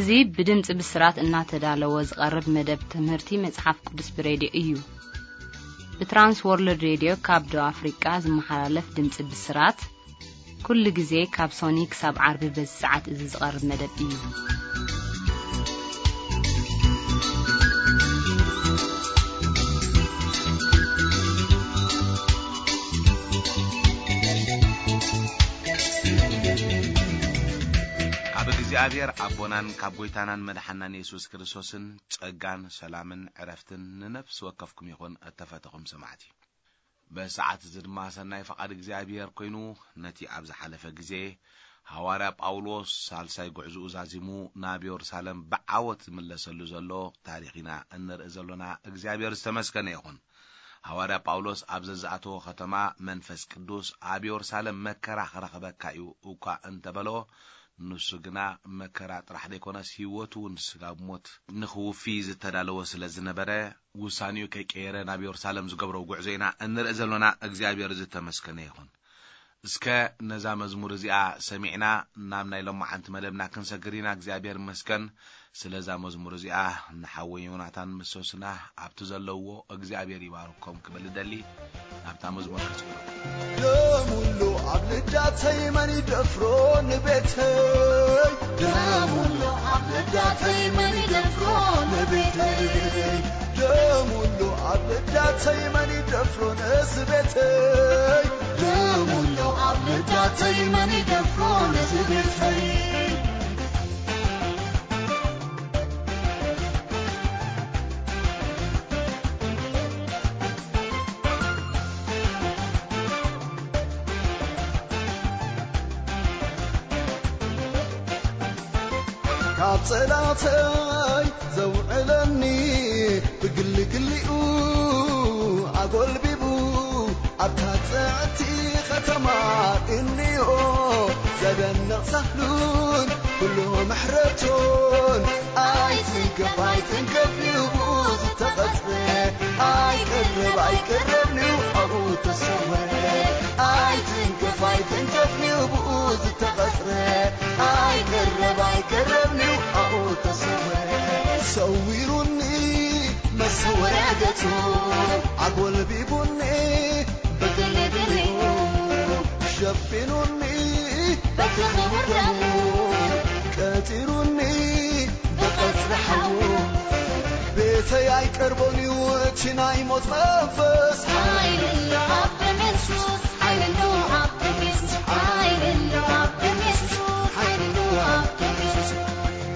እዚ ብድምጺ ብስራት እናተዳለወ ዝቐርብ መደብ ትምህርቲ መጽሓፍ ቅዱስ ብሬድዮ እዩ። ብትራንስ ወርልድ ሬድዮ ካብ ደቡብ ኣፍሪቃ ዝመሓላለፍ ድምጺ ብስራት፣ ኩሉ ግዜ ካብ ሶኒ ክሳብ ዓርቢ በዚ ሰዓት እዚ ዝቐርብ መደብ እዩ። ካብ እግዚኣብሔር ኣቦናን ካብ ጐይታናን መድሓናን የሱስ ክርስቶስን ጸጋን ሰላምን ዕረፍትን ንነፍሲ ወከፍኩም ይኹን፣ እተፈተኹም ሰማዕቲ። በዚ ሰዓት እዚ ድማ ሰናይ ፈቓድ እግዚኣብሔር ኮይኑ፣ ነቲ ኣብ ዝሓለፈ ግዜ ሃዋርያ ጳውሎስ ሳልሳይ ጉዕዞኡ ዛዚሙ ናብ የሩሳሌም ብዓወት ዝምለሰሉ ዘሎ ታሪኽ ኢና እንርኢ ዘሎና። እግዚኣብሔር ዝተመስገነ ይኹን። ሃዋርያ ጳውሎስ ኣብ ዘዝኣተዎ ከተማ መንፈስ ቅዱስ ኣብ የሩሳሌም መከራ ክረኽበካ እዩ እኳ እንተበሎ፣ ንሱ ግና መከራ ጥራሕ ዘይኮነስ ህይወቱ እውን ስጋብ ሞት ንኽውፊ ዝተዳለወ ስለ ዝነበረ፣ ውሳኔኡ ከይቀየረ ናብ የሩሳሌም ዝገብሮ ጉዕዞ ኢና እንርኢ ዘሎና። እግዚኣብሔር ዝተመስገነ ይኹን። እስከ ነዛ መዝሙር እዚኣ ሰሚዕና ናብ ናይ ሎማዓንቲ መደብና ክንሰግር ኢና። እግዚኣብሔር ይመስገን። ስለዛ መዝሙር እዚኣ ንሓወይ ዮናታን ምስ ሶስና ኣብቲ ዘለውዎ እግዚኣብሔር ይባርኮም ክብል እደሊ። ናብታ መዝሙር ከስግሮ። ደሙሎ ኣብ ልዳተይ መን ይደፍሮ ንቤተይ? ደሙሎ ኣብ ልዳተይ መን ይደፍሮ ንቤተይ? ደሙሎ ኣብ ልዳተይ መን ይደፍሮ ነዚ ቤተይ? ደሙሎ ኣብ ልዳተይ መን ይደፍሮ ነዚ ቤተይ? ካብ ጸላእተይ ዘውዕለኒ ብግልግሊኡ ኣጎልቢቡ ኣብታ ጽዕቲ ኸተማ እንዮ ዘደንቕ ሳህሉን ኩሉ ምሕረቱን ኣይትንከፍ ኣይትንከፍ ንብኡ ዝተቐጽረ ኣይቀረብ ኣይቀረብ ንብኡ ተሰወረ ኣይትንከፍ ኣይትንከፍ ንብኡ ዝተቐጽረ ኣይቀረብ ኣይቀረብ ንብኡ ተሰወረ ሰዊሩኒ መሰወርያ ገጹ ኣጎልቢቡኒ ብግልግሊኡ ሸፊኑኒ በቲ ክቡር ደሙ ቀጺሩኒ ብቐጽሪ ሓዉ ቤተይ ኣይቀርቦን እዩ እቲ ናይ ሞት መንፈስ ሓይሊ ኣሎ ኣብ ደም የሱስ ሓይሊ ኣሎ ኣብ ደም የሱስ ሓይሊ ኣሎ ኣብ ደም የሱስ ሓይሊ ኣሎ ኣብ ደም የሱስ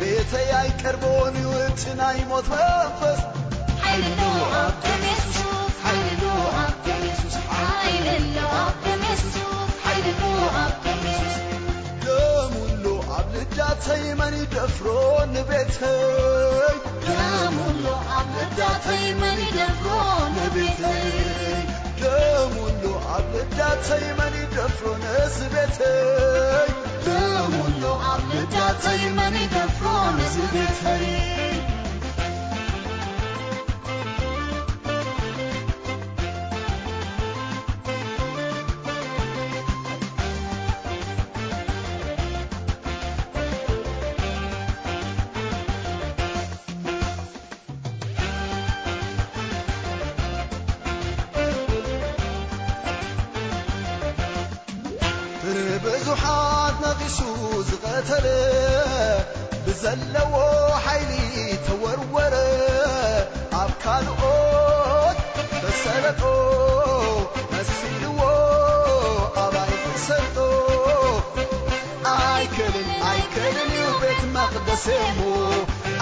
ቤተይ ኣይቀርቦን እዩ እቲ ናይ ሞት መንፈስ ሓይሊ ኣሎ ኣብ ደም የሱስ ሓይሊ ኣሎ ኣብ ደም የሱስ ሓይሊ ኣሎ ኣብ ደም የሱስ ሓይሊ ኣሎ ኣብ ደም የሱስ ደሙሎ ኣብ ልዳተይ መን ይደፍሮ ንቤተይ ደሙሎ ኣብ ልዳተይ መን ይደፍሮ ንቤተይ ደሙሎ ኣብ ልዳተይ መን ይደፍሮ ነዚ ቤተይ ደሙሎ ኣብ ልዳተይ መን ይደፍሮ ነዚ ቤተይ ብብዙሓት ነቒሱ ዝቐተለ ብዘለዎ ሓይሊ ተወርወረ ኣብ ካልኦት ተሰለጦ መሲልዎ ኣባይ ክሰልጦ ኣይክልን ኣይክልን እዩ ቤት መቕደስ እሞ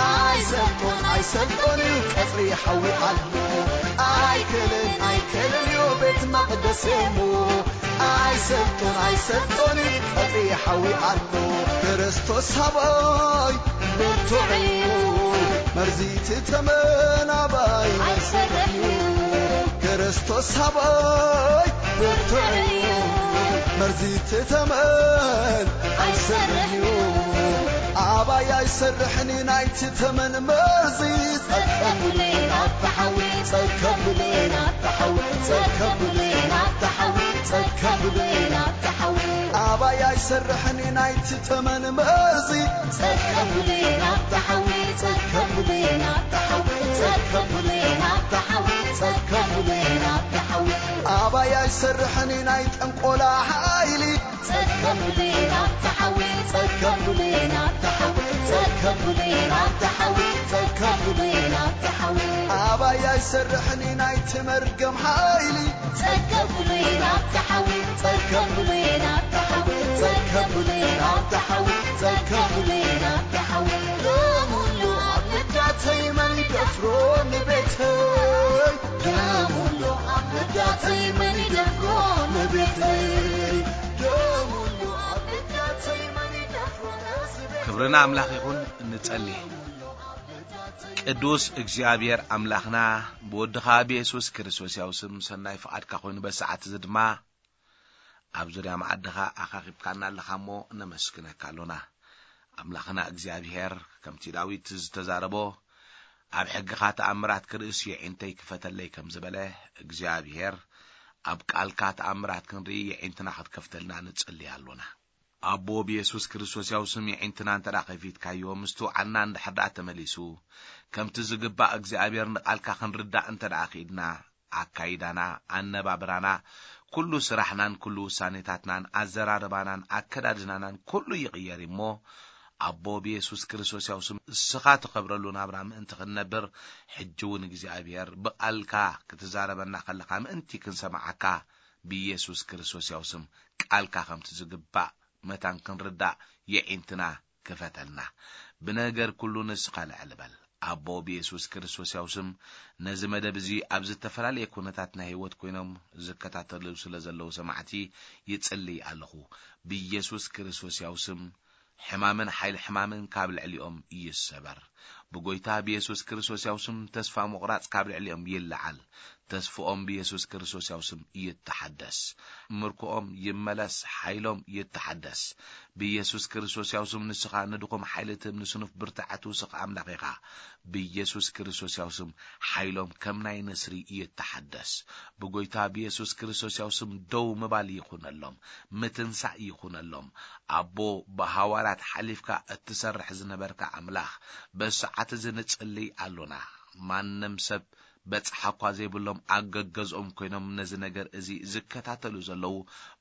ኣይሰልጦን ኣይሰልጦን እዩ ቀጽሪ ሓዊ ኣሎ ኣይክልን ኣይክልን እዩ ቤት መቕደስ እሞ ኣይሰልጦን ኣይሰልጦን እዩ ቀጽሪ ሓዊ ኣሎ ክርስቶስ ሃባይ ብርቱዕ እዩ መርዚ እቲ ተመን ኣባይ ኣይሰርሕ እዩ ክርስቶስ ኣባይ ብርቱዕ እዩ መርዚ እቲ ተመን ኣይሰርሕ እዩ ኣባይ ኣይሰርሕን እዩ ናይቲ ተመን መርዚ ጸከብለይ ናብቲ ሓዊ ጸከብለይ ናብቲ ሓዊ ጸከብለይ ናብቲ ሓዊ ጸከብለይ ናብቲ ሓዊ ኣባይ ኣይሰርሕን ናይቲ ተመን መዚ። ጸከቡለይ ናብታ ሓዊ፣ ጸከቡለይ ናብታ ሓዊ፣ ጸከቡለይ ናብታ ሓዊ፣ ጸከቡለይ ናብታ ሓዊ። ኣባይ ኣይሰርሕን ናይ ጠንቆላ ሓይሊ። ጸከቡለይ ናብታ ሓዊ፣ ጸከቡለይ ናብታ ሓዊ፣ ጸከቡለይ ናብታ ሓዊ፣ ጸከቡለይ ናብታ ሓዊ። ኣባይ ኣይሰርሕን ናይቲ መርገም ሓይሊ። ጸከቡለይ ናብታ ሓዊ፣ ጸከቡለይ ናብታ ሓዊ፣ ጸከቡለይ ናብታ ሓዊ፣ ጸከቡለይ ናብታ ሓዊ። ደም ሁሉ ኣብ ልዳተይ መን ይደፍሮ ንቤተይ? ደም ሁሉ ኣብ ልዳተይ መን ይደፍሮ ንቤተይ? ደም ሁሉ ኣብ ልዳተይ መን ይደፍሮ ንቤተይ? ክብሪ ንኣምላኽ ይኹን። ንጸሊ። ቅዱስ እግዚኣብሔር ኣምላኽና፣ ብወድኻ ብየሱስ ክርስቶስ ያው ስም ሰናይ ፍቓድካ ኮይኑ፣ በሰዓት እዚ ድማ ኣብ ዙርያ መኣድኻ ኣኻኺብካና ኣለኻ እሞ ነመስግነካ ኣሎና። ኣምላኽና እግዚኣብሔር፣ ከምቲ ዳዊት ዝተዛረቦ፣ ኣብ ሕግኻ ተኣምራት ክርእስ የዒንተይ ክፈተለይ ከም ዝበለ፣ እግዚኣብሔር፣ ኣብ ቃልካ ተኣምራት ክንርኢ የዒንትና ክትከፍተልና ንጽሊ ኣሎና። ኣቦ ብየሱስ ክርስቶስ ያው ስም የዒንትና እንተ ደኣ ከፊትካዮ፣ ምስትውዓልና እንድሕር ደኣ ተመሊሱ፣ ከምቲ ዝግባእ እግዚኣብሔር ንቓልካ ክንርዳእ እንተ ደኣ ኽኢድና፣ ኣካይዳና፣ ኣነባብራና፣ ኩሉ ስራሕናን ኩሉ ውሳኔታትናን፣ ኣዘራርባናን ኣከዳድናናን ኩሉ ይቕየር እሞ፣ ኣቦ ብየሱስ ክርስቶስ ያው ስም እስኻ ትኸብረሉ ናብራ ምእንቲ ክንነብር፣ ሕጂ እውን እግዚኣብሔር ብቓልካ ክትዛረበና ከለኻ ምእንቲ ክንሰማዓካ፣ ብየሱስ ክርስቶስ ያው ስም ቃልካ ከምቲ ዝግባእ መታን ክንርዳእ የዒንትና ክፈተልና። ብነገር ኩሉ ንስኻ ልዕል በል። ኣቦ ብየሱስ ክርስቶስ ያው ስም ነዚ መደብ እዚ ኣብ ዝተፈላለየ ኩነታት ናይ ህይወት ኮይኖም ዝከታተሉ ስለ ዘለዉ ሰማዕቲ ይጽልይ ኣለኹ። ብየሱስ ክርስቶስ ያው ስም ሕማምን ሓይሊ ሕማምን ካብ ልዕሊኦም ይሰበር። ብጎይታ ብየሱስ ክርስቶስ ያው ስም ተስፋ ምቑራጽ ካብ ልዕሊኦም ይለዓል። ተስፍኦም ብየሱስ ክርስቶስ ያው ስም ይተሓደስ። ምርኮኦም ይመለስ፣ ሓይሎም ይተሓደስ። ብየሱስ ክርስቶስ ያው ስም ንስኻ ንድኹም ሓይሊ ትህብ፣ ንስኑፍ ብርታዐ ትውስኽ ኣምላኽ ኢኻ። ብየሱስ ክርስቶስ ያው ስም ሓይሎም ከም ናይ ንስሪ ይተሓደስ። ብጎይታ ብየሱስ ክርስቶስ ያው ስም ደው ምባል ይኹነሎም፣ ምትንሳእ ይኹነሎም። ኣቦ፣ ብሃዋርያት ሓሊፍካ እትሰርሕ ዝነበርካ ኣምላኽ፣ በዚ ሰዓት እዚ ንጽልይ ኣሎና። ማንም ሰብ በጽሓ እኳ ዘይብሎም ኣብ ገገዝኦም ኮይኖም ነዚ ነገር እዚ ዝከታተሉ ዘለዉ፣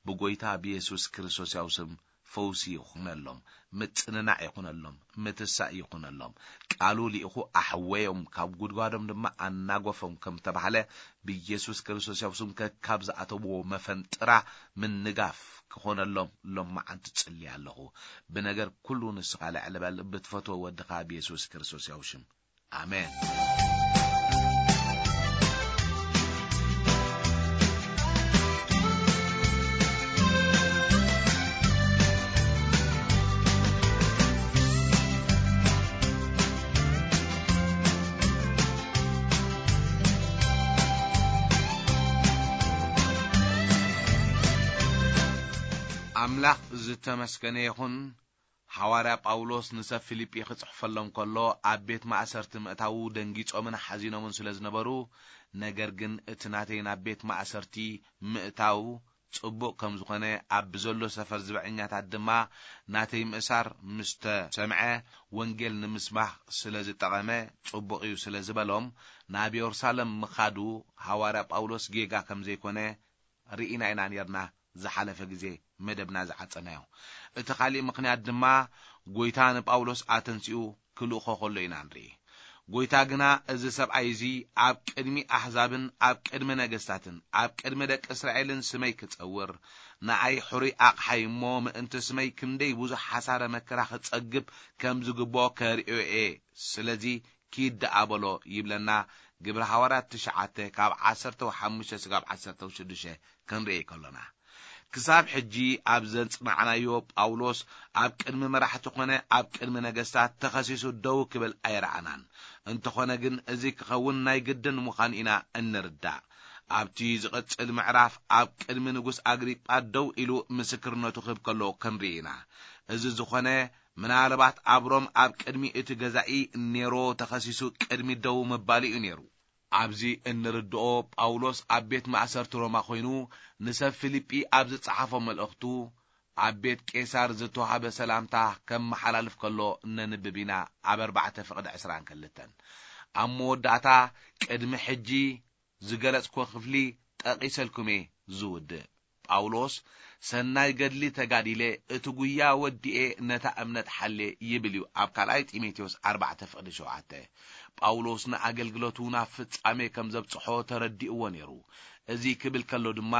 ብጎይታ ብየሱስ ክርስቶስ ያው ስም ፈውሲ ይኹነሎም፣ ምጽንናዕ ይኹነሎም፣ ምትሳእ ይኹነሎም። ቃሉ ልኢኹ ኣሕወዮም፣ ካብ ጉድጓዶም ድማ ኣናጎፎም ከም ተባህለ፣ ብኢየሱስ ክርስቶስ ያው ስም ከካብ ዝኣተውዎ መፈንጥራ ምንጋፍ ክኾነሎም ሎመዓንቲ ጽሊ ኣለኹ። ብነገር ኩሉ ንስኻ ልዕል በል፣ ብትፈትዎ ወድኻ ብኢየሱስ ክርስቶስ ያው ሽም። ኣሜን። ኣምላኽ ዝተመስገነ ይኹን። ሓዋርያ ጳውሎስ ንሰብ ፊልጲ ክጽሕፈሎም ከሎ፣ ኣብ ቤት ማእሰርቲ ምእታዉ ደንጊጾምን ሓዚኖምን ስለ ዝነበሩ፣ ነገር ግን እቲ ናተይ ናብ ቤት ማእሰርቲ ምእታው ጽቡቕ ከም ዝኾነ፣ ኣብ ብዘሎ ሰፈር ዝበዐኛታት ድማ ናተይ ምእሳር ምስ ተሰምዐ፣ ወንጌል ንምስባኽ ስለ ዝጠቐመ፣ ጽቡቕ እዩ ስለ ዝበሎም፣ ናብ የሩሳሌም ምኻዱ፣ ሃዋርያ ጳውሎስ ጌጋ ከም ዘይኮነ ርኢና ኢና ኔርና፣ ዝሓለፈ ግዜ መደብና ዝዓጸናዮ። እቲ ካሊእ ምኽንያት ድማ፣ ጐይታ ንጳውሎስ ኣተንሲኡ ክልእኾ ከሎ ኢና ንርኢ። ጐይታ ግና፣ እዚ ሰብኣይ እዚ ኣብ ቅድሚ ኣሕዛብን ኣብ ቅድሚ ነገስታትን ኣብ ቅድሚ ደቂ እስራኤልን ስመይ ክጸውር፣ ንኣይ ሕሩይ ኣቕሓይ እሞ፣ ምእንቲ ስመይ ክንደይ ብዙሕ ሓሳረ መከራ ክጸግብ ከም ዝግብኦ ከርእዮ እየ። ስለዚ፣ ኪድ ደኣ በሎ ይብለና። ግብሪ ሃዋርያት ትሽዓተ ካብ ዓሰርተ ሓሙሽተ ስጋብ ዓሰርተ ሽዱሽተ ክንርኢ ከሎና፣ ክሳብ ሕጂ ኣብ ዘጽናዕናዮ፣ ጳውሎስ ኣብ ቅድሚ መራሕቲ ኾነ ኣብ ቅድሚ ነገስታት ተኸሲሱ ደው ክብል ኣይረኣናን። እንተኾነ ግን፣ እዚ ክኸውን ናይ ግድን ምዃኑ ኢና እንርዳእ። ኣብቲ ዝቕጽል ምዕራፍ፣ ኣብ ቅድሚ ንጉስ ኣግሪጳ ደው ኢሉ ምስክርነቱ ክህብ ከሎ ክንርኢ ኢና። እዚ ዝኾነ፣ ምናልባት ኣብ ሮም ኣብ ቅድሚ እቲ ገዛኢ ኔሮ ተኸሲሱ ቅድሚ ደው ምባሉ እዩ ነይሩ። ኣብዚ እንርድኦ፣ ጳውሎስ ኣብ ቤት ማእሰርቲ ሮማ ኮይኑ ንሰብ ፊልጲ ኣብ ዝጸሓፎ መልእኽቱ፣ ኣብ ቤት ቄሳር ዝተዋህበ ሰላምታ ከመሓላልፍ ከሎ ነንብብ ኢና። ኣብ ኣርባዕተ ፍቕዲ ዕስራን ክልተን ኣብ መወዳእታ ቅድሚ ሕጂ ዝገለጽኩዎ ክፍሊ ጠቒሰልኩም እየ ዝውድእ። ጳውሎስ ሰናይ ገድሊ ተጋዲለ፣ እቲ ጉያ ወዲኤ፣ ነታ እምነት ሓልየ ይብል እዩ ኣብ ካልኣይ ጢሞቴዎስ ኣርባዕተ ፍቕዲ ሸውዓተ። ጳውሎስ ንኣገልግሎቱ ናብ ፍጻሜ ከም ዘብጽሖ ተረዲእዎ ነይሩ። እዚ ክብል ከሎ ድማ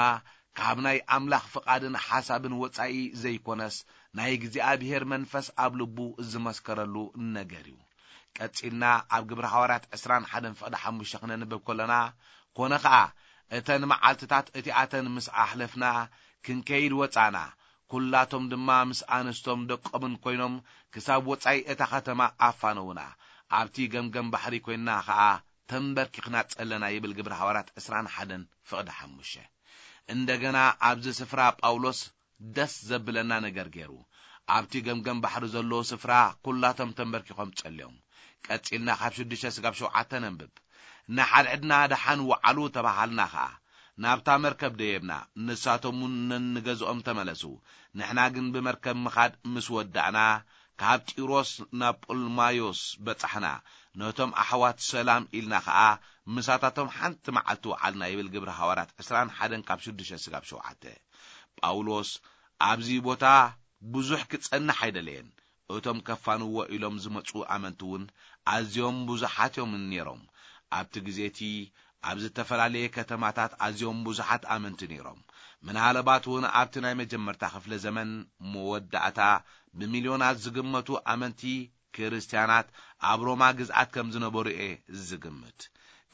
ካብ ናይ ኣምላኽ ፍቓድን ሓሳብን ወጻኢ ዘይኮነስ ናይ እግዚኣብሔር መንፈስ ኣብ ልቡ ዝመስከረሉ ነገር እዩ። ቀጺልና ኣብ ግብሪ ሃዋርያት ዕስራን ሓደን ፍቕዲ ሓሙሽተ ክነንብብ ከሎና፣ ኮነ ኸኣ እተን መዓልትታት እቲኣተን ምስ ኣሕለፍና ክንከይድ ወጻና፣ ኩላቶም ድማ ምስ ኣንስቶም ደቆምን ኮይኖም ክሳብ ወጻኢ እታ ኸተማ ኣፋነውና። ኣብቲ ገምገም ባሕሪ ኮይንና ኸኣ ተንበርኪኽና ጸለና ይብል ግብሪ ሃዋርያት ዕስራን ሓደን ፍቕዲ ሓሙሽተ። እንደገና ኣብዚ ስፍራ ጳውሎስ ደስ ዘብለና ነገር ገይሩ። ኣብቲ ገምገም ባሕሪ ዘለዎ ስፍራ ኩላቶም ተንበርኪኾም ጸልዮም። ቀጺልና ካብ ሽዱሽተ ስጋብ ሸውዓተ ነንብብ። ንሓድሕድና ደሓን ወዓሉ ተባሃልና ኸኣ። ናብታ መርከብ ደየብና፣ ንሳቶም እውን ነንገዝኦም ተመለሱ። ንሕና ግን ብመርከብ ምኻድ ምስ ወዳእና፣ ካብ ጢሮስ ናብ ጶልማዮስ በጻሕና። ነቶም ኣሕዋት ሰላም ኢልና ኸኣ ምሳታቶም ሓንቲ መዓልቲ ወዓልና ይብል ግብሪ ሃዋርያት ዕስራን ሓደን ካብ ሽዱሽተ ስጋብ ሸውዓተ። ጳውሎስ ኣብዚ ቦታ ብዙሕ ክጸንሕ ኣይደለየን። እቶም ከፋንዎ ኢሎም ዝመጹ ኣመንቲ እውን ኣዝዮም ብዙሓት እዮም ነይሮም። ኣብቲ ግዜ እቲ ኣብ ዝተፈላለየ ከተማታት ኣዝዮም ብዙሓት ኣመንቲ ነይሮም። ምናልባት እውን ኣብቲ ናይ መጀመርታ ክፍለ ዘመን መወዳእታ ብሚልዮናት ዝግመቱ ኣመንቲ ክርስትያናት ኣብ ሮማ ግዝኣት ከም ዝነበሩ እየ ዝግምት።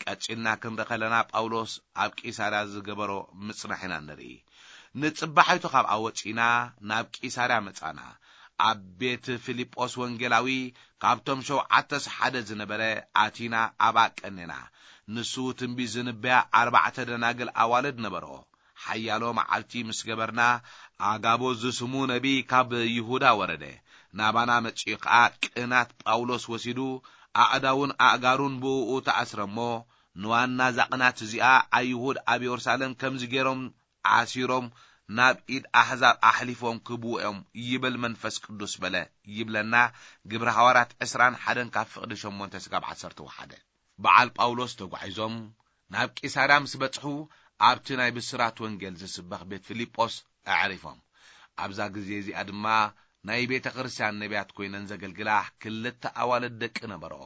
ቀጺልና ክንርኢ ከለና ጳውሎስ ኣብ ቂሳርያ ዝገበሮ ምጽናሕ ኢና ንርኢ። ንጽባሒቱ ካብኣ ወጺና ናብ ቂሳርያ መጻና። ኣብ ቤት ፊልጶስ ወንጌላዊ ካብቶም ሸውዓተስ ሓደ ዝነበረ ኣቲና ኣብኣ ቀኔና። ንሱ ትንቢት ዝንበያ ኣርባዕተ ደናግል ኣዋልድ ነበርኦ። ሓያሎ መዓልቲ ምስ ገበርና፣ ኣጋቦ ዝስሙ ነቢይ ካብ ይሁዳ ወረደ። ናባና መጺኡ ኸኣ ቅናት ጳውሎስ ወሲዱ፣ ኣእዳውን ኣእጋሩን ብእኡ ተኣስረ እሞ፣ ንዋና እዛ ቅናት እዚኣ ኣይሁድ ኣብ የሩሳሌም ከምዚ ገይሮም ኣሲሮም ናብ ኢድ ኣሕዛብ ኣሕሊፎም ክህብዎ እዮም ይብል መንፈስ ቅዱስ በለ ይብለና ግብሪ ሃዋርያት ዕስራን ሓደን ካብ ፍቕዲ ሸሞንተ ስጋብ ዓሰርተ ሓደ። በዓል ጳውሎስ ተጓዒዞም ናብ ቂሳርያ ምስ በጽሑ ኣብቲ ናይ ብስራት ወንጌል ዝስበኽ ቤት ፊልጶስ ኣዕሪፎም። ኣብዛ ግዜ እዚኣ ድማ ናይ ቤተ ክርስቲያን ነቢያት ኮይነን ዘገልግላ ክልተ ኣዋልድ ደቂ ነበርኦ።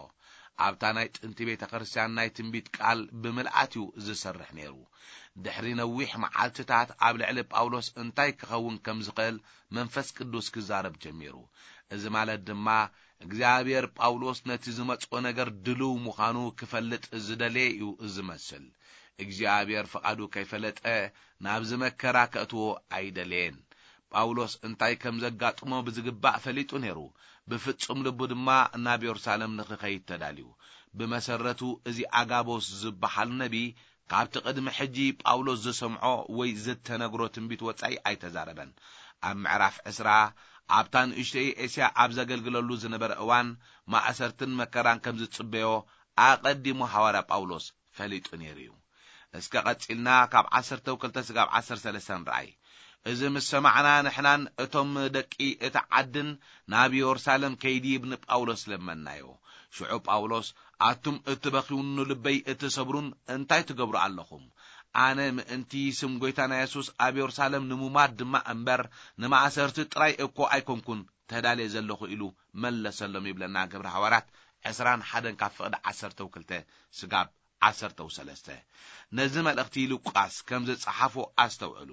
ኣብታ ናይ ጥንቲ ቤተ ክርስቲያን ናይ ትንቢት ቃል ብምልኣት እዩ ዝሰርሕ ነይሩ። ድሕሪ ነዊሕ መዓልትታት ኣብ ልዕሊ ጳውሎስ እንታይ ክኸውን ከም ዝኽእል መንፈስ ቅዱስ ክዛረብ ጀሚሩ። እዚ ማለት ድማ እግዚኣብሔር ጳውሎስ ነቲ ዝመጽኦ ነገር ድልው ምዃኑ ክፈልጥ ዝደለየ እዩ ዝመስል። እግዚኣብሔር ፍቓዱ ከይፈለጠ ናብዚ መከራ ከእትዎ ኣይደለየን። ጳውሎስ እንታይ ከም ዘጋጥሞ ብዝግባእ ፈሊጡ ነይሩ። ብፍጹም ልቡ ድማ ናብ የሩሳሌም ንኽኸይድ ተዳልዩ። ብመሰረቱ እዚ ኣጋቦስ ዝበሃል ነቢ ካብቲ ቅድሚ ሕጂ ጳውሎስ ዝሰምዖ ወይ ዝተነግሮ ትንቢት ወጻኢ ኣይተዛረበን። ኣብ ምዕራፍ ዕስራ ኣብታ ንእሽተይ ኤስያ ኣብ ዘገልግለሉ ዝነበረ እዋን ማእሰርትን መከራን ከም ዝጽበዮ ኣቐዲሙ ሃዋርያ ጳውሎስ ፈሊጡ ነይሩ እዩ። እስከ ቀጺልና ካብ ዓሰርተ ክልተ ስጋብ ዓሰርተ ሰለስተ ንርኣይ። እዚ ምስ ሰማዕና ንሕናን እቶም ደቂ እቲ ዓድን ናብ የሩሳሌም ከይድይብ ንጳውሎስ ለመናዮ። ሽዑ ጳውሎስ ኣቱም እትበኽዩን ንልበይ እትሰብሩን እንታይ ትገብሩ ኣለኹም? ኣነ ምእንቲ ስም ጐይታና የሱስ ኣብ የሩሳሌም ንሙማት ድማ እምበር ንማእሰርቲ ጥራይ እኮ ኣይኮንኩን ተዳልየ ዘለኹ ኢሉ መለሰሎም ይብለና ግብሪ ሃዋርያት ዕስራን ሓደን ካብ ፍቕዲ ዓሰርተው ክልተ ስጋብ ዓሰርተው ሰለስተ። ነዚ መልእኽቲ ሉቃስ ከም ዝጸሓፎ ኣስተውዕሉ።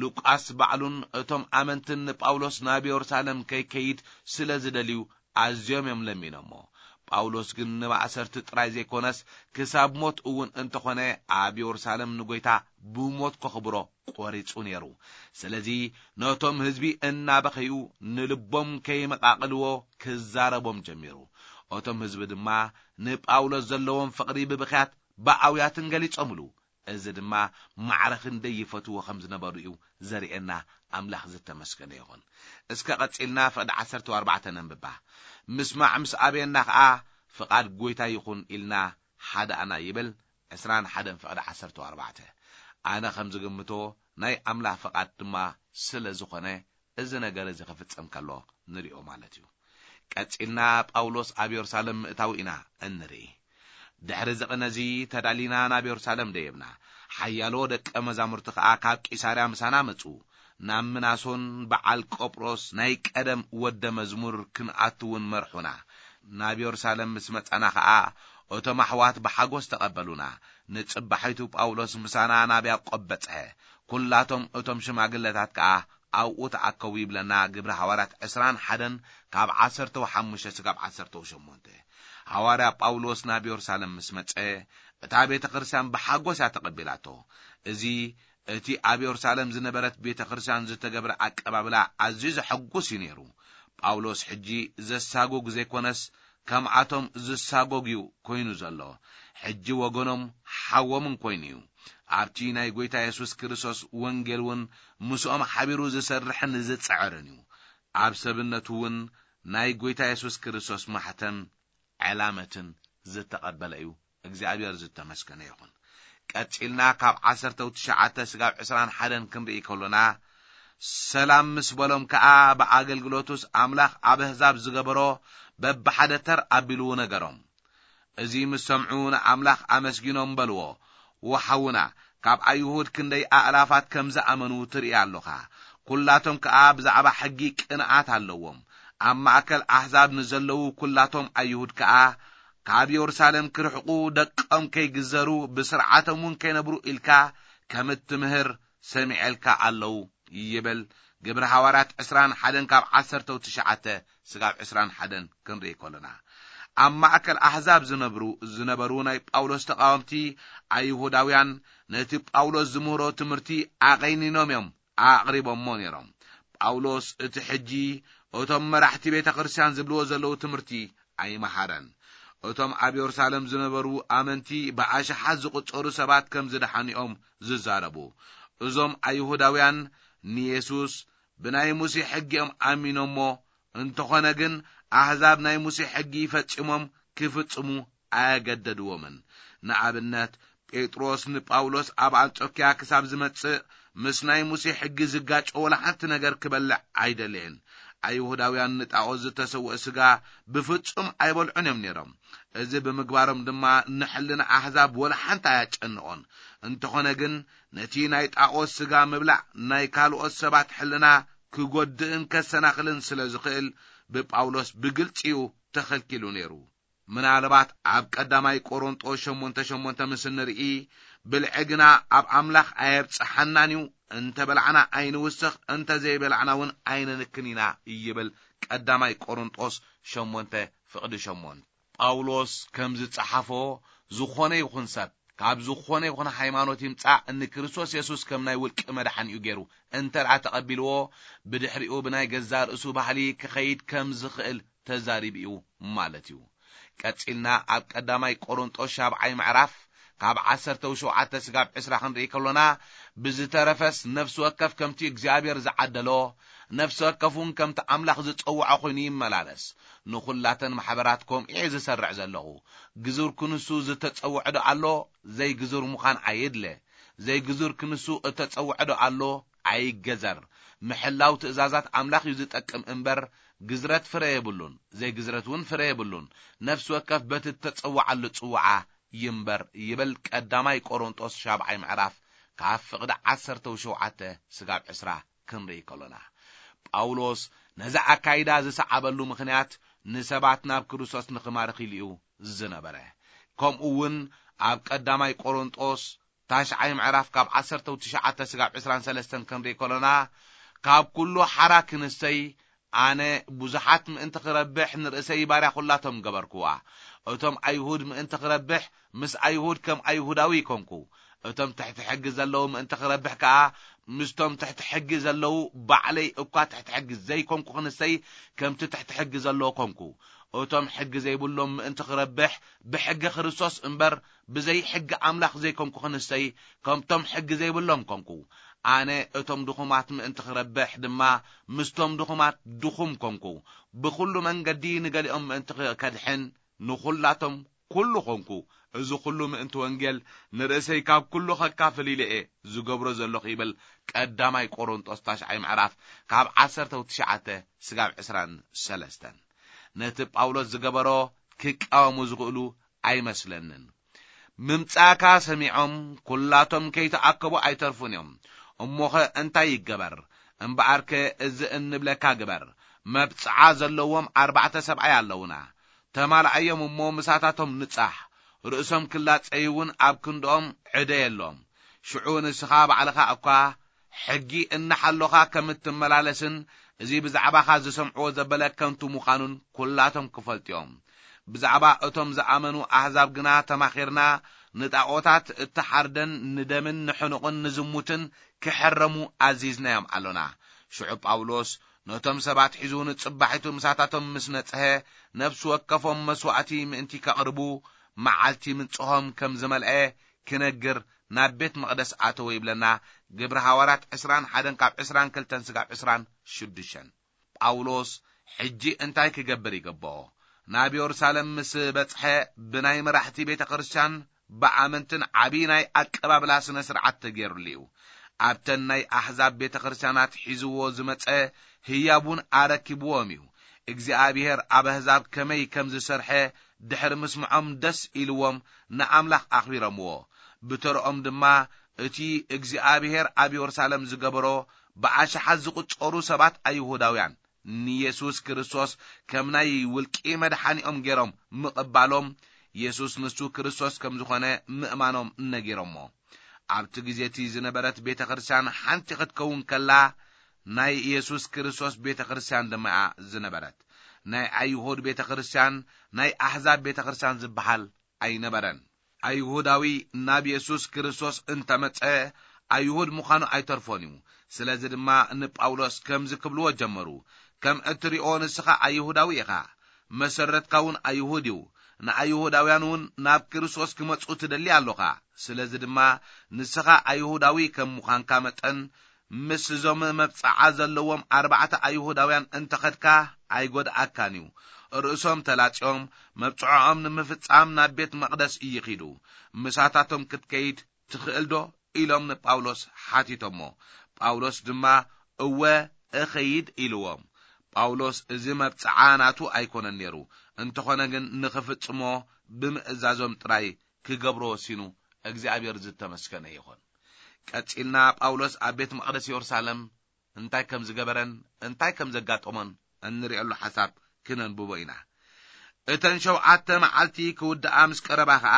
ሉቃስ ባዕሉን እቶም ኣመንትን ንጳውሎስ ናብ የሩሳሌም ከይከይድ ስለ ዝደልዩ ኣዝዮም እዮም ለሚኖሞ። ጳውሎስ ግን ንማእሰርቲ ጥራይ ዘይኮነስ ክሳብ ሞት እውን እንተኾነ ኣብ የሩሳሌም ንጎይታ ብሞት ከኽብሮ ቆሪጹ ነይሩ። ስለዚ ነቶም ህዝቢ እናበኸዩ ንልቦም ከይመቓቕልዎ ክዛረቦም ጀሚሩ። እቶም ህዝቢ ድማ ንጳውሎስ ዘለዎም ፍቕሪ ብብኽያት ብኣውያትን ገሊጾምሉ። እዚ ድማ ማዕረ ክንደይ ይፈትዎ ከም ዝነበሩ እዩ ዘርእየና። ኣምላኽ ዝተመስገነ ይኹን። እስከ ቀጺልና ፍቕዲ ዓሰርተ ኣርባዕተ ነንብባ። ምስማዕ ምስ ኣበየና ኸኣ ፍቓድ ጐይታ ይኹን ኢልና ሓዳእና ይብል። ዕስራን ሓደን ፍቕዲ ዓሰርተ ኣርባዕተ። ኣነ ከም ዝግምቶ ናይ ኣምላኽ ፍቓድ ድማ ስለ ዝኾነ እዚ ነገር እዚ ክፍጸም ከሎ ንሪኦ ማለት እዩ። ቀጺልና ጳውሎስ ኣብ የሩሳሌም ምእታው ኢና እንርኢ። ድሕሪ እዚ ቅነ እዚ ተዳሊና ናብ የሩሳሌም ደየብና። ሓያሎ ደቀ መዛሙርቲ ከኣ ካብ ቂሳርያ ምሳና መጹ። ናብ ምናሶን በዓል ቆጵሮስ ናይ ቀደም ወደ መዝሙር ክንኣቱ እውን መርሑና። ናብ የሩሳሌም ምስ መጻና ከኣ እቶም ኣሕዋት ብሓጎስ ተቐበሉና። ንጽባሒቱ ጳውሎስ ምሳና ናብ ያቆብ በጽሐ። ኩላቶም እቶም ሽማግለታት ከኣ ኣብኡ ተኣከቡ ይብለና ግብሪ ሃዋርያት ዕስራን ሓደን ካብ ዓሰርተው ሓሙሽተ ስጋብ ዓሰርተው ሸሞንተ። ሃዋርያ ጳውሎስ ናብ የሩሳሌም ምስ መጸ፣ እታ ቤተ ክርስቲያን ብሓጎስ እያ ተቐቢላቶ። እዚ እቲ ኣብ የሩሳሌም ዝነበረት ቤተ ክርስቲያን ዝተገብረ ኣቀባብላ ኣዝዩ ዘሐጉስ እዩ ነይሩ። ጳውሎስ ሕጂ ዘሳጉግ ዘይኮነስ ከምኣቶም ዝሳጎግ እዩ ኮይኑ ዘሎ። ሕጂ ወገኖም ሓዎምን ኮይኑ እዩ። ኣብቲ ናይ ጐይታ የሱስ ክርስቶስ ወንጌል እውን ምስኦም ሓቢሩ ዝሰርሕን ዝጽዕርን እዩ። ኣብ ሰብነቱ እውን ናይ ጐይታ የሱስ ክርስቶስ ማሕተም ዕላመትን ዝተቐበለ እዩ። እግዚኣብሔር ዝተመስገነ ይኹን። ቀጺልና ካብ ዓሰርተው ትሽዓተ ስጋብ ዕስራን ሓደን ክንርኢ ከሎና፣ ሰላም ምስ በሎም ከኣ ብኣገልግሎቱስ ኣምላኽ ኣብ ኣህዛብ ዝገበሮ በብሓደ ተር ኣቢሉ ነገሮም። እዚ ምስ ሰምዑ ንኣምላኽ ኣመስጊኖም በልዎ፣ ወሓውና ካብ ኣይሁድ ክንደይ ኣእላፋት ከም ዝኣመኑ ትርኢ ኣሎኻ። ኩላቶም ከኣ ብዛዕባ ሕጊ ቅንኣት ኣለዎም። ኣብ ማእከል ኣሕዛብ ንዘለዉ ኩላቶም ኣይሁድ ከኣ ካብ የሩሳሌም ክርሕቁ፣ ደቆም ከይግዘሩ፣ ብስርዓቶም እውን ከይነብሩ ኢልካ ከም እትምህር ሰሚዐልካ ኣለዉ ይብል። ግብሪ ሃዋርያት ዕስራን ሓደን ካብ ዓሰርተው ትሽዓተ ስጋብ ዕስራን ሓደን ክንርኢ ከሎና፣ ኣብ ማእከል ኣሕዛብ ዝነብሩ ዝነበሩ ናይ ጳውሎስ ተቃወምቲ ኣይሁዳውያን ነቲ ጳውሎስ ዝምህሮ ትምህርቲ ኣቐይኒኖም እዮም ኣቕሪቦሞ ነይሮም። ጳውሎስ እቲ ሕጂ እቶም መራሕቲ ቤተ ክርስቲያን ዝብልዎ ዘለዉ ትምህርቲ ኣይመሃረን። እቶም ኣብ የሩሳሌም ዝነበሩ ኣመንቲ ብኣሽሓት ዝቑጸሩ ሰባት ከም ዝደሓኑ እዮም ዝዛረቡ። እዞም ኣይሁዳውያን ንየሱስ ብናይ ሙሴ ሕጊ እዮም ኣሚኖሞ፣ እንተኾነ ግን ኣህዛብ ናይ ሙሴ ሕጊ ፈጺሞም ክፍጽሙ ኣየገደድዎምን። ንኣብነት፣ ጴጥሮስ ንጳውሎስ ኣብ ኣንጾክያ ክሳብ ዝመጽእ ምስ ናይ ሙሴ ሕጊ ዝጋጮ ወላ ሓንቲ ነገር ክበልዕ ኣይደለየን። ኣይሁዳውያን ንጣኦት ዝተሰውአ ስጋ ብፍጹም ኣይበልዑን እዮም ነይሮም። እዚ ብምግባሮም ድማ ንሕልና ኣህዛብ ወላ ሓንቲ ኣያጨንቖን። እንተኾነ ግን ነቲ ናይ ጣኦት ስጋ ምብላዕ ናይ ካልኦት ሰባት ሕልና ክጎድእን ከሰናኽልን ስለ ዝኽእል ብጳውሎስ ብግልጺ እዩ ተኸልኪሉ ነይሩ። ምናልባት ኣብ ቀዳማይ ቆሮንጦስ ሸሞንተ ሸሞንተ ምስ እንርኢ፣ ብልዒ ግና ኣብ ኣምላኽ ኣየብጽሓናን እዩ፣ እንተ በላዕና ኣይንውስኽ፣ እንተ ዘይበላዕና እውን ኣይንንክን ኢና ይብል ቀዳማይ ቆሮንጦስ ሸሞንተ ፍቕዲ ሸሞንተ። ጳውሎስ ከም ዝጸሓፎ፣ ዝኾነ ይኹን ሰብ ካብ ዝኾነ ይኹን ሃይማኖት ይምጻእ፣ ንክርስቶስ የሱስ ከም ናይ ውልቂ መድሓኒኡ ገይሩ እንተ ደኣ ተቐቢልዎ፣ ብድሕሪኡ ብናይ ገዛእ ርእሱ ባህሊ ክኸይድ ከም ዝኽእል ተዛሪቡ እዩ ማለት እዩ። ቀጺልና ኣብ ቀዳማይ ቆሮንጦስ ሻብዓይ ምዕራፍ ካብ ዓሰርተው ሸውዓተ ስጋብ ዕስራ ክንርኢ ከሎና፣ ብዝተረፈስ ነፍሲ ወከፍ ከምቲ እግዚኣብሔር ዝዓደሎ፣ ነፍሲ ወከፍ እውን ከምቲ ኣምላኽ ዝጸውዖ ኮይኑ ይመላለስ። ንኹላተን ማሕበራት ከምኡ እየ ዝሰርዕ ዘለኹ። ግዙር ክንሱ ዝተጸውዐ ዶ ኣሎ? ዘይግዙር ምዃን ኣየድለ። ዘይግዙር ክንሱ እተጸውዐ ዶ ኣሎ? ኣይገዘር። ምሕላው ትእዛዛት ኣምላኽ እዩ ዝጠቅም እምበር፣ ግዝረት ፍረ የብሉን፣ ዘይግዝረት እውን ፍረ የብሉን። ነፍሲ ወከፍ በቲ እተጸውዓሉ ጽውዓ ይንበር ይብል ቀዳማይ ቆሮንጦስ ሻብዓይ ምዕራፍ ካብ ፍቕዲ ዓሰርተው ሸውዓተ ስጋብ ዕስራ ክንርኢ ከሎና። ጳውሎስ ነዚ ኣካይዳ ዝሰዓበሉ ምኽንያት ንሰባት ናብ ክርስቶስ ንኽማርኽ ኢሉ እዩ ዝነበረ። ከምኡ እውን ኣብ ቀዳማይ ቆሮንጦስ ታሽዓይ ምዕራፍ ካብ ዓሰርተው ትሽዓተ ስጋብ ዕስራን ሰለስተን ክንርኢ ከሎና፣ ካብ ኩሉ ሓራ ክንሰይ ኣነ ብዙሓት ምእንቲ ክረብሕ ንርእሰይ ባርያ ኩላቶም ገበርኩዋ። እቶም ኣይሁድ ምእንቲ ክረብሕ ምስ ኣይሁድ ከም ኣይሁዳዊ ኮንኩ። እቶም ትሕቲ ሕጊ ዘለዉ ምእንቲ ክረብሕ ከኣ ምስቶም ትሕቲ ሕጊ ዘለዉ ባዕለይ እኳ ትሕቲ ሕጊ ዘይኮንኩ ክንሰይ ከምቲ ትሕቲ ሕጊ ዘለዉ ኮንኩ። እቶም ሕጊ ዘይብሎም ምእንቲ ክረብሕ ብሕጊ ክርስቶስ እምበር ብዘይ ሕጊ ኣምላኽ ዘይኮንኩ ክንሰይ ከምቶም ሕጊ ዘይብሎም ኮንኩ። ኣነ እቶም ድኹማት ምእንቲ ክረብሕ ድማ ምስቶም ድኹማት ድኹም ኮንኩ። ብኹሉ መንገዲ ንገሊኦም ምእንቲ ከድሕን ንኹላቶም ኩሉ ኾንኩ፣ እዚ ኩሉ ምእንቲ ወንጌል ንርእሰይ ካብ ኩሉ ኸካፍል ኢለ እየ ዝገብሮ ዘለኹ ይብል ቀዳማይ ቆሮንጦስ ታሽዓይ ምዕራፍ ካብ ዓሰርተ ትሽዓተ ስጋብ ዕስራን ሰለስተን። ነቲ ጳውሎስ ዝገበሮ ክቃወሙ ዝኽእሉ ኣይመስለንን። ምምጻእካ ሰሚዖም ኩላቶም ከይተኣከቡ ኣይተርፉን እዮም። እሞኸ እንታይ ይገበር? እምበኣርከ እዚ እንብለካ ግበር። መብጽዓ ዘለዎም ኣርባዕተ ሰብኣይ ኣለዉና። ተማልኣዮም እሞ ምሳታቶም ንጻሕ። ርእሶም ክላጸዩ እውን ኣብ ክንድኦም ዕደ የሎም። ሽዑ ንስኻ ባዕልኻ እኳ ሕጊ እናሓሎኻ ከም እትመላለስን እዚ ብዛዕባኻ ዝሰምዕዎ ዘበለ ከንቱ ምዃኑን ኩላቶም ክፈልጡ እዮም። ብዛዕባ እቶም ዝኣመኑ ኣህዛብ ግና ተማኺርና፣ ንጣኦታት እተሓርደን ንደምን ንሕኑቕን ንዝሙትን ክሕረሙ ኣዚዝናዮም ኣሎና። ሽዑ ጳውሎስ ነቶም ሰባት ሒዙ ንጽባሒቱ ምሳታቶም ምስ ነጽሀ፣ ነፍሲ ወከፎም መስዋእቲ ምእንቲ ከቕርቡ መዓልቲ ምንጽሆም ከም ዝመልአ ክነግር ናብ ቤት መቕደስ ኣተወ ይብለና። ግብሪ ሃዋርያት ዕስራን ሓደን ካብ ዕስራን ክልተን ስጋብ ዕስራን ሽዱሽተን። ጳውሎስ ሕጂ እንታይ ክገብር ይግብኦ? ናብ የሩሳሌም ምስ በጽሐ፣ ብናይ መራሕቲ ቤተ ክርስቲያን ብኣመንትን ዓቢ ናይ ኣቀባብላ ስነ ስርዓት ተገይሩሉ እዩ። ኣብተን ናይ ኣሕዛብ ቤተ ክርስቲያናት ሒዝዎ ዝመጸ ህያቡን ኣረኪብዎም እዩ። እግዚኣብሔር ኣብ ኣህዛብ ከመይ ከም ዝሰርሐ ድሕሪ ምስምዖም ደስ ኢልዎም ንኣምላኽ ኣኽቢሮምዎ። ብተርኦም ድማ እቲ እግዚኣብሔር ኣብ የሩሳሌም ዝገበሮ ብኣሽሓት ዝቑጸሩ ሰባት ኣይሁዳውያን ንየሱስ ክርስቶስ ከም ናይ ውልቂ መድሓኒኦም ገይሮም ምቕባሎም፣ የሱስ ንሱ ክርስቶስ ከም ዝኾነ ምእማኖም ነጊሮሞ። ኣብቲ ግዜ እቲ ዝነበረት ቤተ ክርስቲያን ሓንቲ ክትከውን ከላ፣ ናይ የሱስ ክርስቶስ ቤተ ክርስቲያን ድማ እያ ዝነበረት። ናይ ኣይሁድ ቤተ ክርስቲያን፣ ናይ ኣሕዛብ ቤተ ክርስቲያን ዝበሃል ኣይነበረን። ኣይሁዳዊ ናብ የሱስ ክርስቶስ እንተመጸ፣ ኣይሁድ ምዃኑ ኣይተርፎን እዩ። ስለዚ ድማ ንጳውሎስ ከምዚ ክብልዎ ጀመሩ፣ "ከም እትሪኦ ንስኻ ኣይሁዳዊ ኢኻ፣ መሰረትካ እውን ኣይሁድ እዩ። ንኣይሁዳውያን እውን ናብ ክርስቶስ ክመጹ ትደሊ ኣሎኻ። ስለዚ ድማ ንስኻ ኣይሁዳዊ ከም ምዃንካ መጠን፣ ምስ እዞም መብጽዓ ዘለዎም ኣርባዕተ ኣይሁዳውያን እንተኸድካ ኣይጎድኣካን እዩ። ርእሶም ተላጽዮም መብጽዖኦም ንምፍጻም ናብ ቤት መቕደስ ይኺዱ። ምሳታቶም ክትከይድ ትኽእል ዶ?" ኢሎም ንጳውሎስ ሓቲቶሞ። ጳውሎስ ድማ፣ "እወ፣ እኸይድ" ኢልዎም። ጳውሎስ እዚ መብጽዓ ናቱ ኣይኮነን ነይሩ፣ እንተኾነ ግን ንኽፍጽሞ ብምእዛዞም ጥራይ ክገብሮ ወሲኑ። እግዚኣብሔር ዝተመስገነ ይኹን። ቀጺልና ጳውሎስ ኣብ ቤት መቕደስ የሩሳሌም እንታይ ከም ዝገበረን እንታይ ከም ዘጋጠሞን እንርእየሉ ሓሳብ ክነንብቦ ኢና። እተን ሸውዓተ መዓልቲ ክውድኣ ምስ ቀረባ ኸኣ፣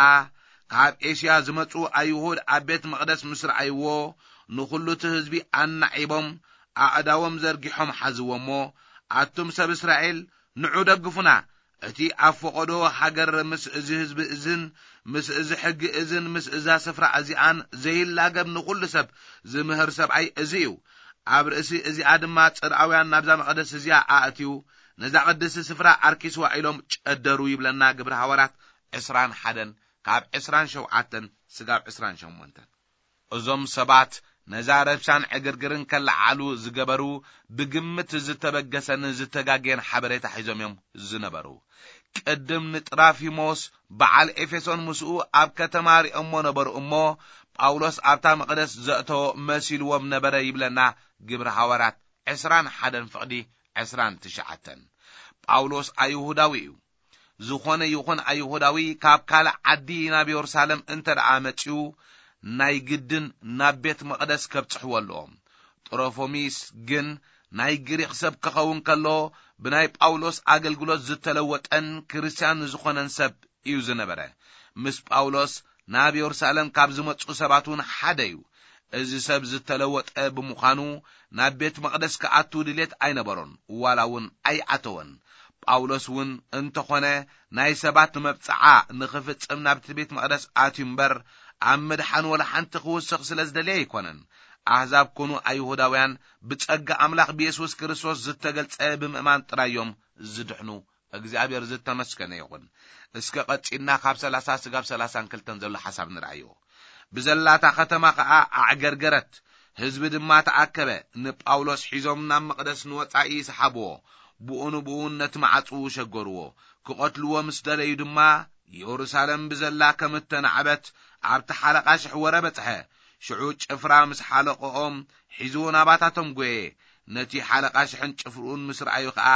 ካብ ኤስያ ዝመጹ ኣይሁድ ኣብ ቤት መቕደስ ምስ ረኣይዎ፣ ንኹሉ እቲ ህዝቢ ኣናዒቦም ኣእዳዎም ዘርጊሖም ሓዝዎ እሞ፣ "ኣቱም ሰብ እስራኤል፣ ንዑ ደግፉና። እቲ ኣብ ፈቐዶ ሃገር ምስ እዚ ህዝቢ እዝን ምስ እዚ ሕጊ እዝን ምስ እዛ ስፍራ እዚኣን ዘይላገብ ንኹሉ ሰብ ዝምህር ሰብኣይ እዚ እዩ። ኣብ ርእሲ እዚኣ ድማ ጽርኣውያን ናብዛ መቕደስ እዚኣ ኣእትዩ ነዛ ቅድስቲ ስፍራ ኣርኪስዋ" ኢሎም ጨደሩ ይብለና ግብሪ ሃዋርያት ዕስራን ሓደን ካብ ዕስራን ሸውዓተን ስጋብ ዕስራን ሸሞንተን። እዞም ሰባት ነዛ ረብሻን ዕግርግርን ከለዓሉ ዝገበሩ ብግምት ዝተበገሰን ዝተጋግየን ሓበሬታ ሒዞም እዮም ዝነበሩ። ቅድም ንጥራፊሞስ በዓል ኤፌሶን ምስኡ ኣብ ከተማ ሪኦሞ ነበሩ እሞ፣ ጳውሎስ ኣብታ መቕደስ ዘእተዎ መሲልዎም ነበረ ይብለና ግብሪ ሃዋርያት ዕስራን ሓደን ፍቕዲ ዕስራን ትሽዓተን። ጳውሎስ ኣይሁዳዊ እዩ። ዝኾነ ይኹን ኣይሁዳዊ ካብ ካልእ ዓዲ ናብ የሩሳሌም እንተ ደኣ መጺኡ፣ ናይ ግድን ናብ ቤት መቕደስ ከብጽሕዎ ኣለዎም። ጥሮፎሚስ ግን ናይ ግሪኽ ሰብ ክኸውን ከሎ፣ ብናይ ጳውሎስ ኣገልግሎት ዝተለወጠን ክርስትያን ዝኾነን ሰብ እዩ ዝነበረ። ምስ ጳውሎስ ናብ የሩሳሌም ካብ ዝመጹ ሰባት እውን ሓደ እዩ። እዚ ሰብ ዝተለወጠ ብምዃኑ፣ ናብ ቤት መቕደስ ክኣቱ ድሌት ኣይነበሮን፣ ዋላ እውን ኣይኣተወን። ጳውሎስ እውን እንተኾነ፣ ናይ ሰባት መብጽዓ ንኽፍጽም ናብቲ ቤት መቕደስ ኣትዩ እምበር፣ ኣብ ምድሓን ወላ ሓንቲ ክውስኽ ስለ ዝደለየ ኣይኮነን። ኣህዛብ ኮኑ ኣይሁዳውያን፣ ብጸጋ ኣምላኽ ብየሱስ ክርስቶስ ዝተገልጸ ብምእማን ጥራይ እዮም ዝድሕኑ። እግዚኣብሔር ዝተመስገነ ይኹን። እስከ ቀጺልና ካብ ሰላሳ ስጋብ ሰላሳን ክልተን ዘሎ ሓሳብ ንርኣዮ። ብዘላታ ከተማ ኸኣ ኣዕገርገረት፣ ህዝቢ ድማ ተኣከበ። ንጳውሎስ ሒዞም ናብ መቕደስ ንወጻኢ ይስሓብዎ፣ ብኡ ንብኡ ነቲ መዓጹ ሸገርዎ። ክቐትልዎ ምስ ደለዩ ድማ ኢየሩሳሌም ብዘላ ከም እተናዕበት ኣብቲ ሓለቓ ሽሕ ወረ በጽሐ። ሽዑ ጭፍራ ምስ ሓለቆኦም ሒዙ ናባታቶም ጐየ። ነቲ ሓለቓ ሽሕን ጭፍርኡን ምስ ረኣዩ ኸኣ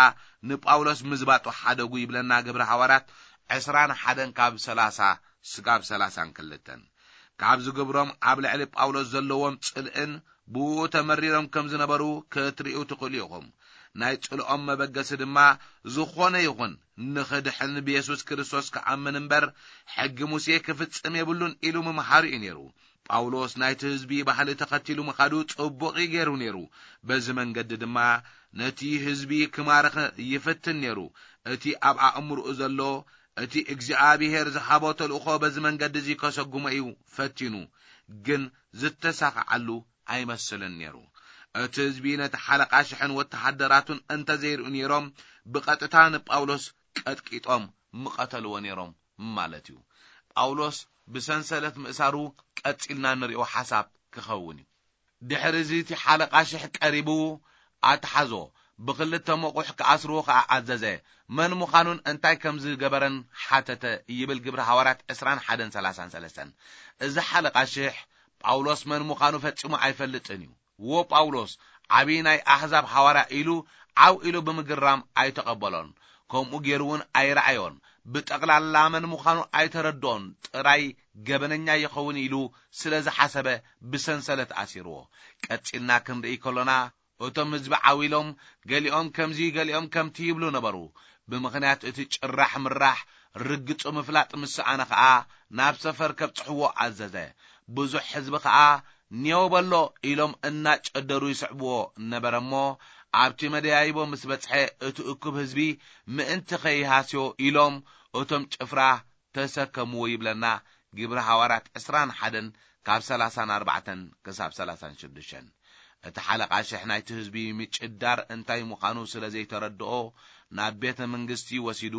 ንጳውሎስ ምዝባጡ ሓደጉ ይብለና ግብረ ሃዋርያት ዕስራን ሓደን ካብ ሠላሳ ስጋብ ሠላሳን ክልተን። ካብ ዝግብሮም ኣብ ልዕሊ ጳውሎስ ዘለዎም ጽልእን ብኡ ተመሪሮም ከም ዝነበሩ ክትርእዩ ትኽእሉ ኢኹም። ናይ ጽልኦም መበገሲ ድማ ዝኾነ ይኹን ንኽድሕን ብየሱስ ክርስቶስ ክኣምን እምበር ሕጊ ሙሴ ክፍጽም የብሉን ኢሉ ምምሃሩ እዩ ነይሩ። ጳውሎስ ናይቲ ህዝቢ ባህሊ ተኸቲሉ ምኻዱ ጽቡቕ እዩ ገይሩ ነይሩ። በዚ መንገዲ ድማ ነቲ ህዝቢ ክማርኽ ይፍትን ነይሩ። እቲ ኣብ ኣእምሮኡ ዘሎ፣ እቲ እግዚኣብሔር ዝሃቦ ተልእኾ በዚ መንገዲ እዚ ከሰጉሞ እዩ ፈቲኑ፣ ግን ዝተሳኽዓሉ ኣይመስልን ነይሩ። እቲ ህዝቢ ነቲ ሓለቓ ሽሕን ወተሃደራቱን እንተ ዘይርእዩ ነይሮም፣ ብቐጥታ ንጳውሎስ ቀጥቂጦም ምቐተልዎ ነይሮም ማለት እዩ። ጳውሎስ ብሰንሰለት ምእሳሩ ቀጺልና ንሪኦ ሓሳብ ክኸውን እዩ። ድሕሪ እዚ እቲ ሓለቓ ሽሕ ቀሪቡ ኣትሓዞ፣ ብኽልተ መቑሕ ክኣስርዎ ኸኣ ኣዘዘ። መን ምዃኑን እንታይ ከም ዝገበረን ሓተተ ይብል ግብሪ ሃዋርያት ዕስራን ሓደን ሠላሳን ሠለስተን። እዚ ሓለቓ ሽሕ ጳውሎስ መን ምዃኑ ፈጺሙ ኣይፈልጥን እዩ። "ዎ ጳውሎስ፣ ዓብዪ ናይ ኣሕዛብ ሃዋርያ" ኢሉ ዓው ኢሉ ብምግራም ኣይተቐበሎን። ከምኡ ገይሩ እውን ኣይረኣዮን። ብጠቕላላ መን ምዃኑ ኣይተረድኦን። ጥራይ ገበነኛ ይኸውን ኢሉ ስለ ዝሓሰበ ብሰንሰለት ኣሲርዎ። ቀጺልና ክንርኢ ከሎና፣ እቶም ህዝቢ ዓው ኢሎም፣ ገሊኦም ከምዚ ገሊኦም ከምቲ ይብሉ ነበሩ። ብምኽንያት እቲ ጭራሕ ምራሕ ርግጹ ምፍላጥ ምስ ሰኣነ ኸኣ፣ ናብ ሰፈር ከብጽሕዎ ኣዘዘ። ብዙሕ ህዝቢ ኸኣ "ኔው በሎ" ኢሎም እናጨደሩ ይስዕብዎ ነበረ እሞ፣ ኣብቲ መደያይቦ ምስ በጽሐ፣ እቲ እኩብ ህዝቢ ምእንቲ ኸይሃስዮ ኢሎም፣ እቶም ጭፍራ ተሰከምዎ ይብለና ግብሪ ሃዋርያት ዕስራን ሓደን ካብ ሠላሳን ኣርባዕተን ክሳብ ሠላሳን ሽዱሽተን። እቲ ሓለቓ ሽሕ ናይቲ ህዝቢ ምጭዳር እንታይ ምዃኑ ስለ ዘይተረድኦ፣ ናብ ቤተ መንግስቲ ወሲዱ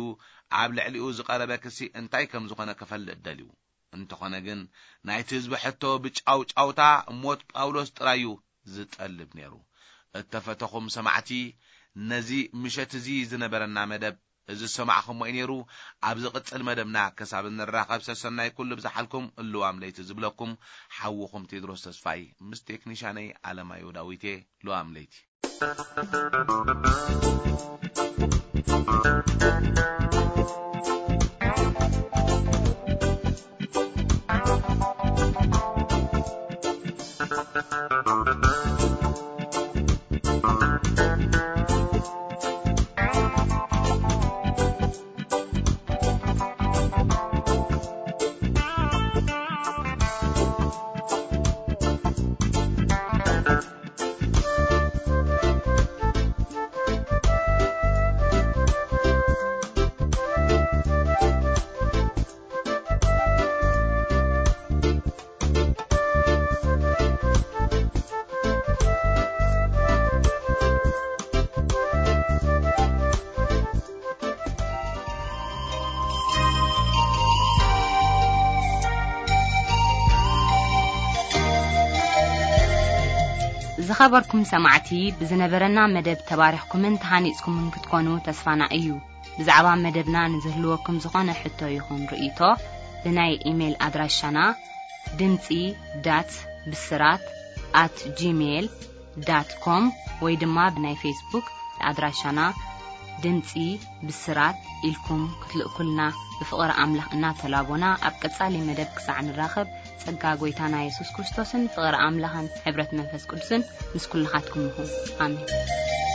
ኣብ ልዕሊኡ ዝቐረበ ክሲ እንታይ ከም ዝኾነ ክፈልጥ ደልዩ። እንተኾነ ግን፣ ናይቲ ህዝቢ ሕቶ ብጫውጫውታ ሞት ጳውሎስ ጥራይ እዩ ዝጠልብ ነይሩ። እተፈተኹም ሰማዕቲ፣ ነዚ ምሸት እዚ ዝነበረና መደብ እዚ ዝሰማዕኹሞ እዩ ነይሩ። ኣብ ዝቕጽል መደብና ክሳብ እንራኸብ፣ ሰሰናይ ኩሉ ብዝሓልኩም፣ እልዋም ለይቲ ዝብለኩም ሓውኹም ቴድሮስ ተስፋይ ምስ ቴክኒሻነይ ኣለማዮ ዳዊቴ። ልዋም ለይቲ። ዝኸበርኩም ሰማዕቲ፣ ብዝነበረና መደብ ተባሪኽኩምን ተሃኒጽኩምን ክትኮኑ ተስፋና እዩ። ብዛዕባ መደብና ንዝህልወኩም ዝኾነ ሕቶ ይኹን ርእይቶ፣ ብናይ ኢሜይል ኣድራሻና ድምጺ ዳት ብስራት ኣት ጂሜይል ዳት ኮም ወይ ድማ ብናይ ፌስቡክ ኣድራሻና ድምጺ ብስራት ኢልኩም ክትልእኩልና ብፍቕሪ ኣምላኽ እናተላቦና፣ ኣብ ቀጻሊ መደብ ክሳዕ ንራኸብ፣ ጸጋ ጐይታና የሱስ ክርስቶስን ፍቕሪ ኣምላኽን ሕብረት መንፈስ ቅዱስን ምስ ኩልኻትኩም ይኹን። ኣሜን።